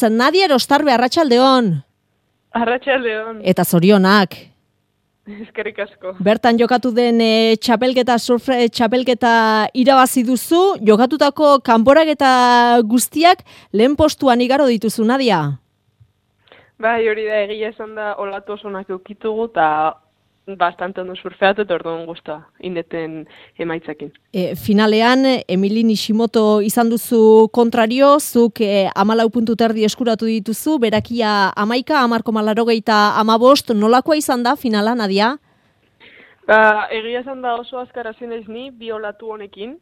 Nadia Erostarbe, arratsaldeon. Arratsaldeon. Eta zorionak. Eskerrik asko. Bertan jokatu den surf txapelketa irabazi duzu, jokatutako kanporaketa guztiak lehen postuan igaro dituzu, Nadia. Bai, hori da, egia esan da olatu osonak eukitugu eta bastante ondo surfeatu eta orduan guztua indeten emaitzakin. Finalean, Emili Nishimoto izan duzu kontrario, zuk 14 puntu terdi eskuratu dituzu, berakia 11, 10,85, nolakoa izan da finala, Nadia? Egia esan da oso azkar hasi naiz ni, bi olatu honekin,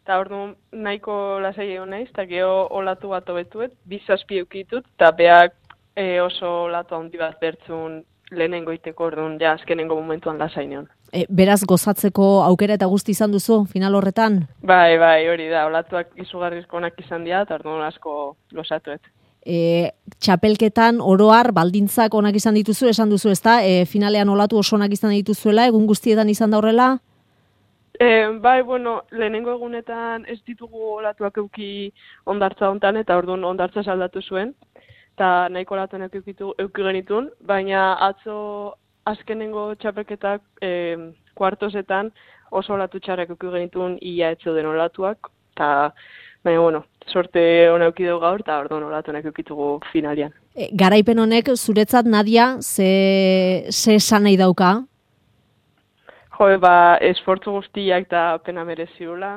eta orduan nahiko lasai egon naiz, eta geho olatu bat hobetuet, 2 zazpi eukitut, eta beak oso olatu handi bat bertzun lehenengo iteko, orduan ja azkenengo momentuan lasainean. Beraz gozatzeko aukera eta guzti izan duzu final horretan? Bai, hori da, olatuak izugarrizko onak izan dira, eta orduan asko gozatuet. Txapelketan oroar baldintzak onak izan dituzu, esan duzu, ezta? Finalean olatu oso onak izan dituzuela, egun guztietan izan da horrela? Bai, lehenengo egunetan ez ditugu olatuak euki ondartza hontan, eta orduan ondartza saldatu zuen, eta nahiko olatuak euki genitun, baina atzo azkenengo txapelketak kuartosetan oso olatu txarrak euki genitun ia etzo den olatuak, eta baina, sorte hona euki dugu gaur, eta orduan olatuak eukitugu finalian. Garaipen honek, zuretzat, Nadia, ze esan nahi dauka? Esfortzu guztiak eta pena mereziula,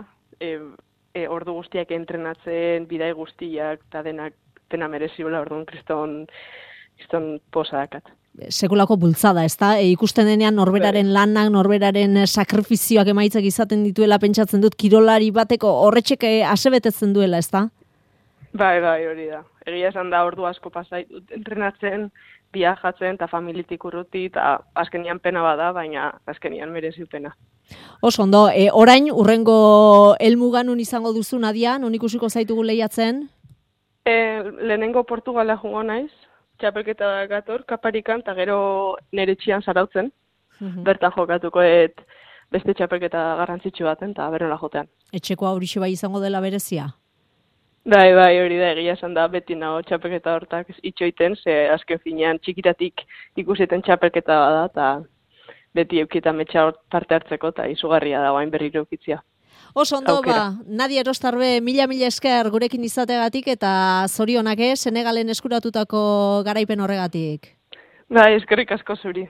ordu guztiak entrenatzen, bidai guztiak, eta denak pena mereziula, orduan kriston posa dakat. Sekulako bultzada, ezta? Ikusten denean norberaren lanak, norberaren sakrifizioak emaitzak izaten dituela pentsatzen dut, kirolari bateko horretxek asebetetzen duela, ezta? Bai, hori da. Egia esan da ordu asko pasait entrenatzen, viajatzen eta familitik urruti, eta azkenian pena bada, baina azkenian merezi pena. Oso ondo, orain urrengo helmuga nun izango duzu, Nadia, nun ikusiko zaitugu lehiatzen? Lehenengo Portugala joango naiz, txapelketa gator, Kaparikan, eta gero nire txian zarautzen. Bertan jokatuko beste txapelketa garrantzitsu baten, eta berrela jotean. Etxeko aurixo bai izango dela berezia? Bai, hori da, egia esan da, beti nago txapelketa hortak itxoiten, ze azken finean txikitatik ikusiten txapelketa bada, eta beti eukitan metxa parte hartzeko, eta izugarria da guain berriro eukitzia. Oso ondo, Nadia Erostarbe, mila esker gurekin izategatik, eta zorionak Senegalen eskuratutako garaipen horregatik. Bai, eskerrik asko zuri.